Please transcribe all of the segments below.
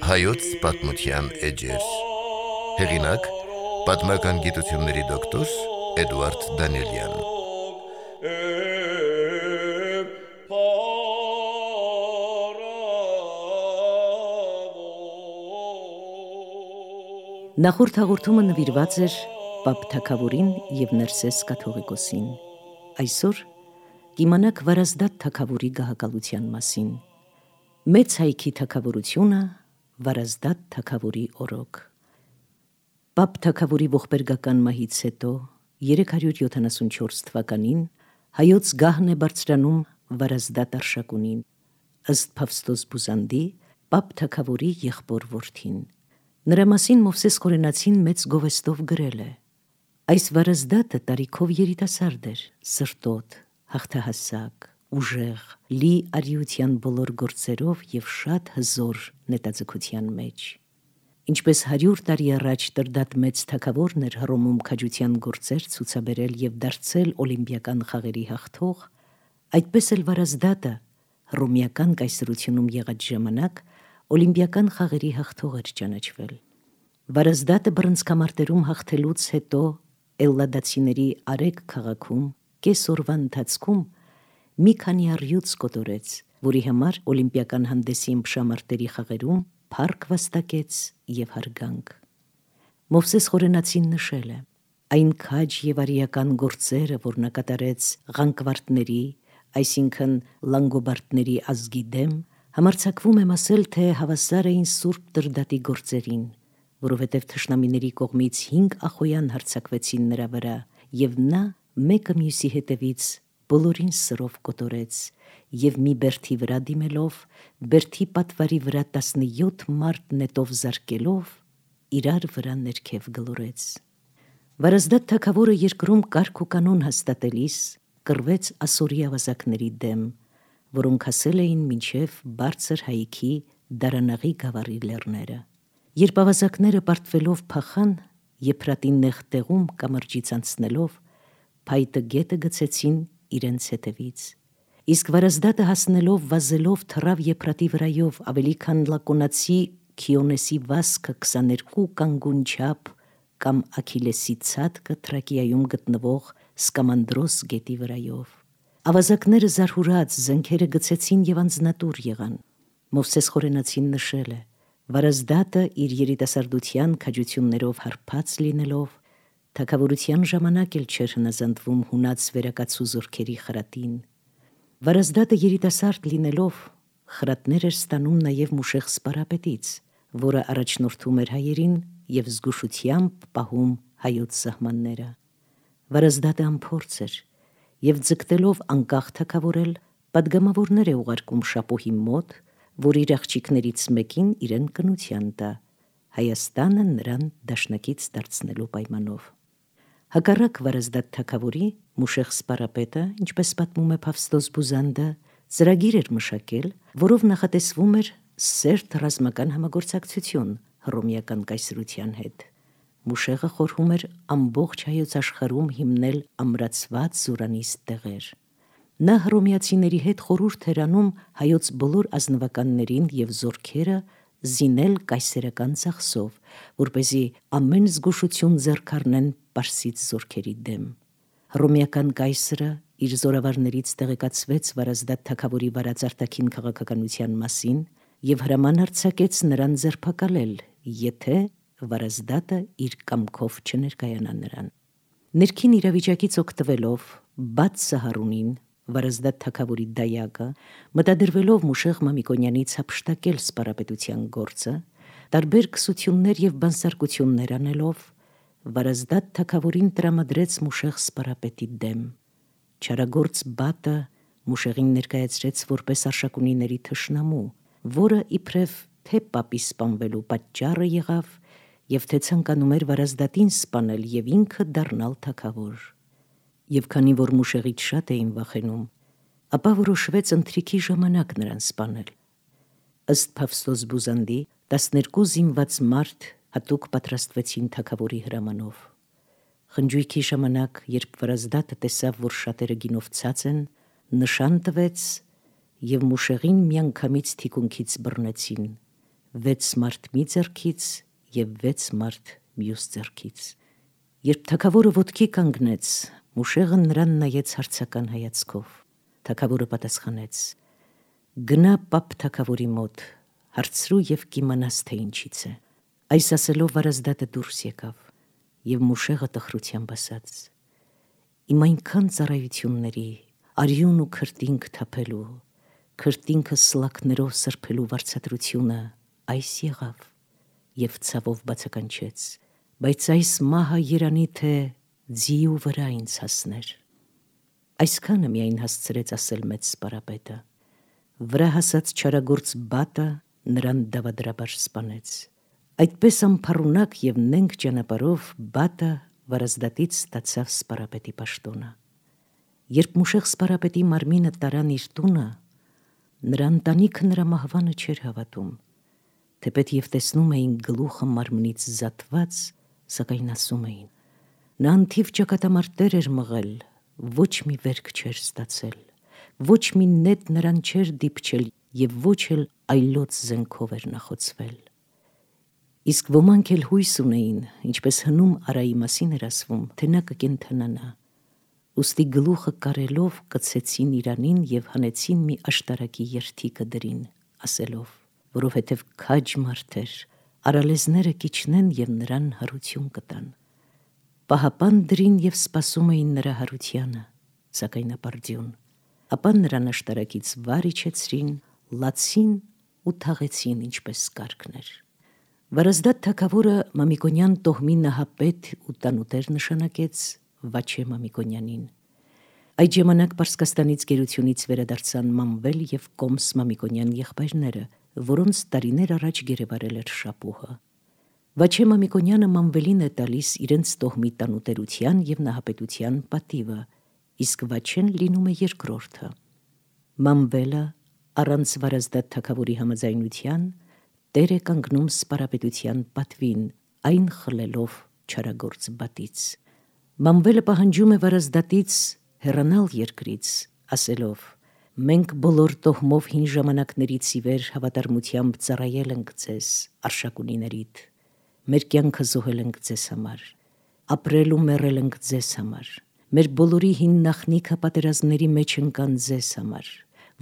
Հայոց պատմության էջեր։ Հեղինակ՝ պատմական գիտությունների դոկտոր Էդուարդ Դանիելյան։ Նախորդ հաղորդումը նվիրված էր Պապ Թագավորին և Ներսես կաթողիկոսին։ Այսօր կիմանաք Վարազդատ թագավորի գահակալության մասին։ Մեծ հայքի թագավորությունը, Վարազդատ թագավորի օրոք։ Պապ Թագավորի ողբերգական մահից հետո 374 թվականին հայոց գահն է բարձրանում Վարազդատ արշակունին, ըստ Փավստոս Բուզանդի, Պապ Թագավորի եղբոր որդին։ Նրա մասին Մովսես Խորենացին մեծ գովեստով գրել է. այս Վարազդատը տարիքով երիտասարդ էր, սրտոտ, հաղթահասակ, ուժեղ, լի արիության բոլոր գործերով և շատ հզոր նետաձգության մեջ։ Ինչպես 100 տարի առաջ Տրդատ մեծ թագավորն էր Հռոմում քաջության գործեր ցուցաբերել և դարձել օլիմպիական խաղերի հաղթող, այդպես էլ Վարազդատը հռոմեական կայսրությունում եղած ժամանակ օլիմպիական խաղերի հաղթող էր ճանաչվել։ Վարազդատը բռնցքամարտերում հաղթելուց հետո Էլլադացիների Արեգ քաղաքում կես օրվա ընթացքում մի քանի առյուծ կոտորեց, որի համար օլիմպիական հանդեսի ըմբշամարտերի խաղերում փառք վաստակեց և հարգանք։ Մովսես Խորենացին նշել է. այն քաջ և արիական գործերը, որ նա կատարեց ղանկվարտների, այսինքն լանգոբարդների ազգի դեմ, համարձակվում եմ ասել, թե հավասար էին Սուրբ Տրդատի գործերին, որովհետև թշնամիների կողմից 5 ախոյան հարձակվեցին նրա վրա, և նա մեկը մյուսի հետևից բոլորին սրով կոտորեց, և մի բերդի վրա դիմելով, բերդի պատվարի վրա 17 մարդ նետով զարկելով, իրար վրա ներքև գլորեց։ Վարազդատ թագավորը երկրում կարգ ու կանոն հաստատելիս կռվեց ասորի ավազակների դեմ, որոնք հասել էին մինչև բարձր հայքի Դարանաղի գավառի լեռները։ Երբ ավազակները պարտվելով փախան, Եփրատի նեղ տեղում կամրջից անցնելով, փայտը գետը գցեցին իրենց հետևից։ Իսկ Վարազդատը հասնելով վազելով թռավ Եփրատի վրայով ավելի քան Լակոնացի Քիոնեսի վազքը 22 կանգուն չափ կամ Աքիլեսի ցատկը Թրակիայում գտնվող Սկամանդրոս գետի վրայով։ Ավազակները զարհուրած զենքերը գցեցին և անձնատուր եղան։ Մովսես Խորենացին նշել է. Վարազդատը իր երիտասարդության քաջություններով հարբած լինելով, թագավորության ժամանակ էլ չէր հնազանդվում հունած վերակացու զորքերի խրատին։ Վարազդատը երիտասարդ լինելով խրատներ էր ստանում նաև Մուշեղ Սպարապետից, որը առաջնորդում էր հայերին և զգուշությամբ պահում հայոց սահմանները։ Վարազդատը անփորձ էր և ձգտելով անկախ թագավորել, պատգամավորներ է ուղարկում Շապոհի մոտ, որ իր աղջիկներից մեկին իրեն կնության տա, Հայաստանը նրան դաշնակից դարձնելու պայմանով։ Հակառակ Վարազդատ թագավորի, Մուշեղ Սպարապետը, ինչպես պատմում է Փավստոս Բուզանդը, ծրագիր էր մշակել, որով նախատեսվում էր սերտ ռազմական համագործակցություն հռոմեական կայսրության հետ։ Մուշեղը խորհում էր ամբողջ հայոց աշխարհում հիմնել ամրացված զորանիստ տեղեր։ Նա հռոմեացիների հետ խորհուրդ էր անում հայոց բոլոր ազնվականներին և զորքերը զինել կայսերական ծախսով, որպեսզի ամեն զգուշություն ձեռք առնեն պարսից զորքերի դեմ։ Հռոմեական կայսրը իր զորավարներից տեղեկացվեց Վարազդատ թագավորի վարած արտաքին քաղաքականության մասին և հրաման արձակեց նրան ձերբակալել, եթե Վարազդատը իր կամքով չներկայանա նրան։ Ներքին իրավիճակից օգտվելով Բաթսը Հարունին, Վարազդատ թագավորի դայակը, մտադրվելով Մուշեղ Մամիկոնյանից հափշտակել սպարապետության գործը, տարբեր քսություններ և բանսարկություններ անելով, Վարազդատ թագավորին տրամադրեց Մուշեղ Սպարապետի դեմ։ Չարագործ Բաթը Մուշեղին ներկայացրեց որպես արշակունիների թշնամու, որը իբրև թե պապի սպանվելու պատճառը եղավ և թե ցանկանում էր Վարազդատին սպանել և ինքը դառնալ թագավոր։ Եվ քանի որ Մուշեղից շատ էին վախենում, ապա որոշվեց ընթրիքի ժամանակ նրան սպանել։ Ըստ Փավստոս Բուզանդի 12 զինված մարդ հատուկ պատրաստվեցին թագավորի հրամանով։ Խնջույքի ժամանակ, երբ Վրազդատը տեսավ, որ շատերը գինով ցած են, նշան տվեց և Մուշեղին միանգամից թիկունքից բռնեցին, 6 մարդ մի ձեռքից և 6 մարդ մյուս ձեռքից։ Երբ թագավորը ոտքի կանգնեց, Մուշեղը նրան նայեց հարցական հայացքով։ Թագավորը պատասխանեց. «Գնա պապ թագավորի մոտ, հարցրու և կիմանաս, թե ինչից է»։ Այս ասելով Վարազդատը դուրս եկավ, և Մուշեղը տխրությամբ ասաց. «Իմ այնքան ծառայությունների, արյուն ու քրտինք թափելու, քրտինքը սլաքներով սրբելու վարձատրությունը այս եղավ»։ Եվ ցավով բացականչեց. «Բայց այս մահը երանի թե ձիու վրա ինձ հասներ»։ Այսքանը միայն հասցրեց ասել մեծ սպարապետը։ Վրա հասած չարագործ բատը նրան դավադրաբար սպանեց։ Այդպես անփառունակ և նենգ ճանապարհով բատը Վարազդատից ստացավ սպարապետի պաշտոնը։ Երբ Մուշեղ սպարապետի մարմինը տարան իր տունը, նրա ընտանիքը նրա մահվանը չէր հավատում, թեպետ և տեսնում էին գլուխը մարմնից զատված, սակայն ասում էին. նա անթիվ ճակատամարտեր էր մղել, ոչ մի վերք չէր ստացել, ոչ մի նետ նրան չէր դիպչել և ոչ էլ այլոց զենքով էր նախոցվել։ Իսկ ոմանք էլ հույս ունեին, ինչպես հնում Արայի մասին էր ասվում, թե նա կկենդանանա։ Ուստի գլուխը կարելով կցեցին իրանին և հանեցին մի աշտարակի երթիկը դրին, ասելով, որովհետև քաջ մարդ էր, արալեզները կիջնեն և նրան հարություն կտան։ Պահապան դրին և սպասում էին նրա հարությանը, սակայն ապարդյուն։ Ապա նրան աշտարակից վար իջեցրին, լացին ու թաղեցին, ինչպես կարգն էր։ Վարազդատ թագավորը Մամիկոնյան տոհմի նահապետ ու տանուտեր նշանակեց Վաչե Մամիկոնյանին։ Այդ ժամանակ Պարսկաստանից գերությունից վերադարձան Մանվել և Կոմս Մամիկոնյան եղբայրները, որոնց տարիներ առաջ գերեվարել էր Շապուհը։ Վաչե Մամիկոնյանը Մանվելին է տալիս իրենց տոհմի տանուտերության և նահապետության պատիվը, իսկ Վաչեն լինում է երկրորդը։ Մանվելը առանց Վարազդատ թագավորի համաձայնության տեր է կանգնում սպարապետության պատվին, այն խլելով չարագործ բատից։ Մանվելը պահանջում է Վարազդատից հեռանալ երկրից, ասելով. «Մենք բոլոր տոհմով հին ժամանակներից ի վեր հավատարմությամբ ծառայել ենք ձեզ, Արշակունիներիդ, մեր կյանքը զոհել ենք ձեզ համար, ապրել ու մեռել ենք ձեզ համար, մեր բոլորի հին նախնիքը պատերազմների մեջ ընկան ձեզ համար,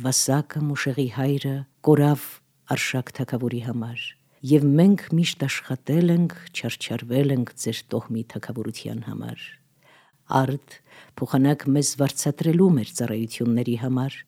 Վասակը Մուշեղի հայրը կորավ Արշակ թագավորի համար, և մենք միշտ աշխատել ենք, չարչարվել ենք ձեր տոհմի թագավորության համար։ Արդ փոխանակ մեզ վարձատրելու մեր ծառայությունների համար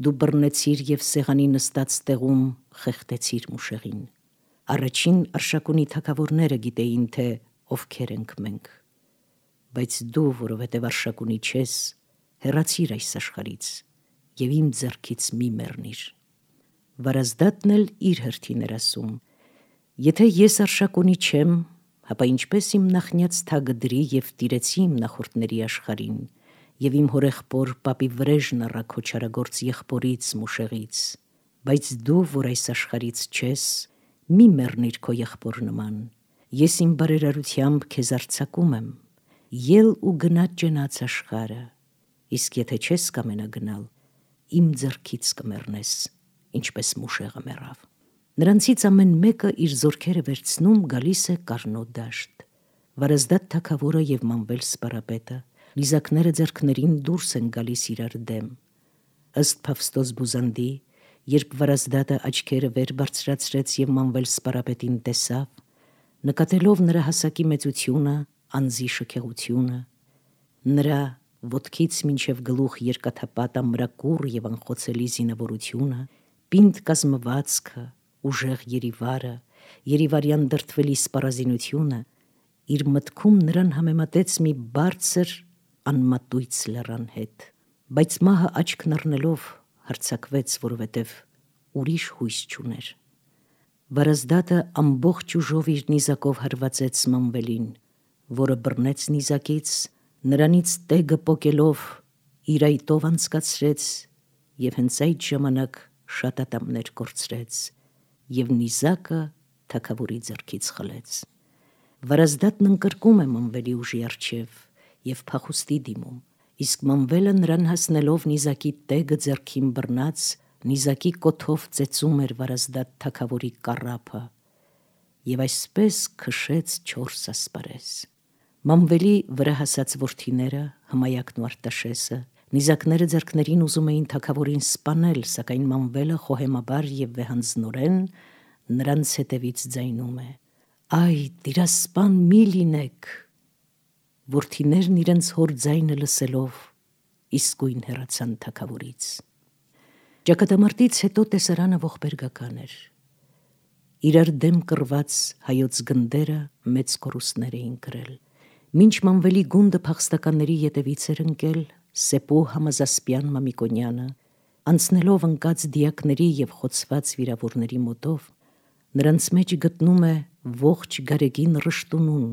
դու բռնեցիր և սեղանի նստած տեղում խեղդեցիր Մուշեղին։ Առաջին Արշակունի թագավորները գիտեին, թե ովքեր ենք մենք, բայց դու, որովհետև Արշակունի չես, հեռացիր այս աշխարհից և իմ ձեռքից մի մեռնիր»։ Վարազդատն էլ իր հերթին էր ասում. «Եթե ես Արշակունի չեմ, հապա ինչպես իմ նախնյաց թագը դրի և տիրեցի իմ նախորդների աշխարհին և իմ հորեղբոր պապի վրեժն առա քո չարագործ եղբորից Մուշեղից, բայց դու, որ այս աշխարհից չես, մի մեռնիր քո եղբոր նման, ես իմ բարերարությամբ քեզ արձակում եմ, ել ու գնա ճենաց աշխարհը, իսկ եթե չես կամենա գնալ, իմ ձեռքից կմեռնես, ինչպես Մուշեղը մեռավ»։ Նրանցից ամեն մեկը իր զորքերը վերցնում գալիս է Կառնո դաշտ։ Վարազդատ թագավորը և Մանվել սպարապետը նիզակները ձեռքներին դուրս են գալիս իրար դեմ։ Ըստ Փավստոս Բուզանդի, երբ Վարազդատը աչքերը վեր բարձրացրեց և Մանվել սպարապետին տեսավ, նկատելով նրա հասակի մեծությունը, անձի շքեղությունը, նրա ոտքից մինչև գլուխ երկաթապատ ամրակուռ և անխոցելի զինվորությունը, պինդ կազմվածքը, ուժեղ երիվարյան դրդվելի սպառազինությունը, իր մտքում նրան համեմատեց մի բարձր անմատույց լեռան հետ, բայց մահը աչքն առնելով հարձակվեց, որովհետև ուրիշ հույս չուներ։ Վարազդատը ամբողջ ուժով իր նիզակով հարվածեց Մանվելին, որը բռնեց նիզակից, նրանից տեգը պոկելով իր այտով անցկացրեց և հենց այդ ժամանակ շատ ատամներ կորցրեց և նիզակը թագավորի ձեռքից խլեց։ Վարազդատն ընկրկում է Մանվելի ուժի առջև և փախուստի դիմում, իսկ Մանվելը նրան հասնելով նիզակի տեգը ձեռքին բռնած, նիզակի կոթով ծեծում էր Վարազդատ թագավորի կառափը, և այսպես քշեց 4 ասպարեզ։ Մանվելի վրա հասած որդիները, Հմայակն ու Արտաշեսը, նիզակները ձեռքներին ուզում էին թագավորին սպանել, սակայն Մանվելը խոհեմաբար և վեհանձնորեն նրանց հետևից ձայնում է. «Այ, տիրասպան մի լինեք»։ Որդիներն իրենց հոր ձայնը լսելով իսկույն հեռացան թագավորից։ Ճակատամարտից հետո տեսարանը ողբերգական էր։ Իրար դեմ կռված հայոց գնդերը մեծ կորուստներ էին կրել։ Մինչ Մանվելի գունդը փախստականների ետևից էր ընկել, Սեպու Համազասպյան Մամիկոնյանը, անցնելով ընկած դիակների և խոցված վիրավորների մոտով, նրանց մեջ գտնում է ողջ գարեգին Ռշտունուն,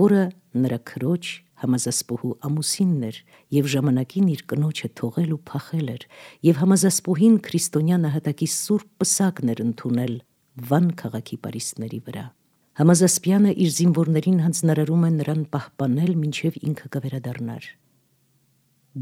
որը նրա քրոջ Համազասպուհու ամուսինն էր և ժամանակին իր կնոջը թողել ու փախել էր, և Համազասպուհին քրիստոնյա նահատակի սուրբ պսակն էր ընդունել Վան քաղաքի պարիսպների վրա։ Համազասպյանը իր զինվորներին հանձնարարում է նրան պահպանել, մինչև ինքը կվերադառնար։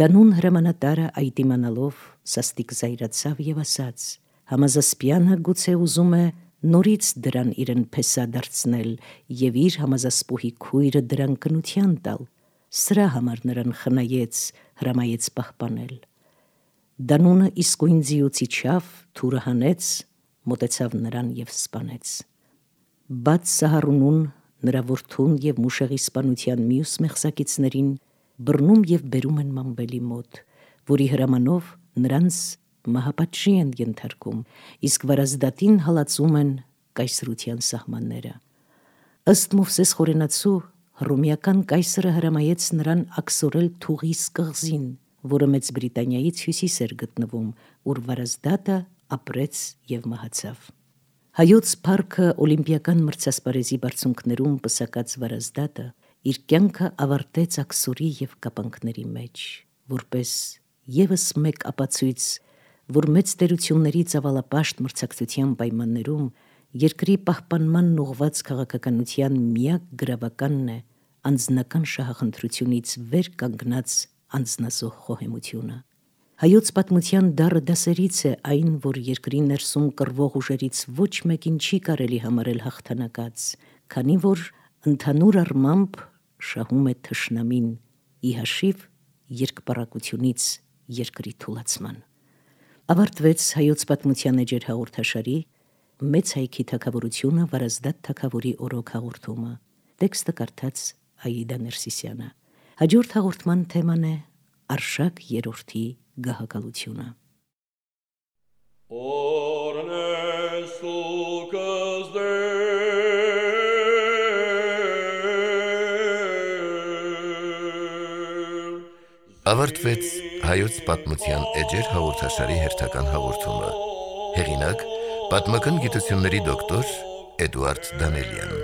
Դանուն հրամանատարը այդ իմանալով սաստիկ զայրացավ և ասաց. Համազասպյանը գուցե ուզում է նորից դրան իրեն փեսա դարձնել և իր Համազասպուհի քույրը դրան կնության տալ, սրա համար նրան խնայեց, հրամայեց պահպանել։ Դանունը իսկույն ձիուց իջավ, թուրը հանեց, մոտեցավ նրան և սպանեց։ Բաց Սահարունուն, նրա որդուն և Մուշեղի սպանության մյուս մեղսակիցներին բռնում և բերում են Մանվելի մոտ, որի հրամանով նրանց մահապատժի են ենթարկում, իսկ Վարազդատին հալածում են կայսրության սահմանները։ Ըստ Մովսես Խորենացու, հռոմեական կայսրը հրամայեց նրան աքսորել Թուղիս կղզին, որը Մեծ Բրիտանիայից հյուսիս էր գտնվում, ուր Վարազդատը ապրեց և մահացավ։ Հայոց փառքը օլիմպիական մրցասպարեզի բարձունքներում պսակած Վարազդատը իր կյանքը ավարտեց աքսորի և կապանքների մեջ, որպես ևս մեկ ապացույց, որ մեծ տերությունների ծավալապաշտ մրցակցության պայմաններում երկրի պահպանմանն ուղղված քաղաքականության միակ գրավականն է անձնական շահախնդրությունից վեր կանգնած անձնազոհ խոհեմությունը։ Հայոց պատմության դառը դասերից է այն, որ երկրի ներսում կռվող ուժերից ոչ մեկին չի կարելի համարել հաղթանակած, քանի որ ընդհանուր առմամբ շահում է թշնամին, ի հաշիվ երկպառակությունից երկրի թուլացման։ Ավարտվեց Հայոց պատմության էջեր հաղորդաշարի Մեծ հայքի թագավորությունը Վարազդատ թագավորի օրոք հաղորդումը։ Տեքստը կարդաց Աիդա Ներսիսյանը։ Հաջորդ հաղորդման թեման է Արշակ երրորդի գահակալությունը։ Ավարտվեց Հայոց պատմության էջեր հաղորդաշարի հերթական հաղորդումը։ Հեղինակ՝ պատմական գիտությունների դոկտոր Էդուարդ Դանելյան։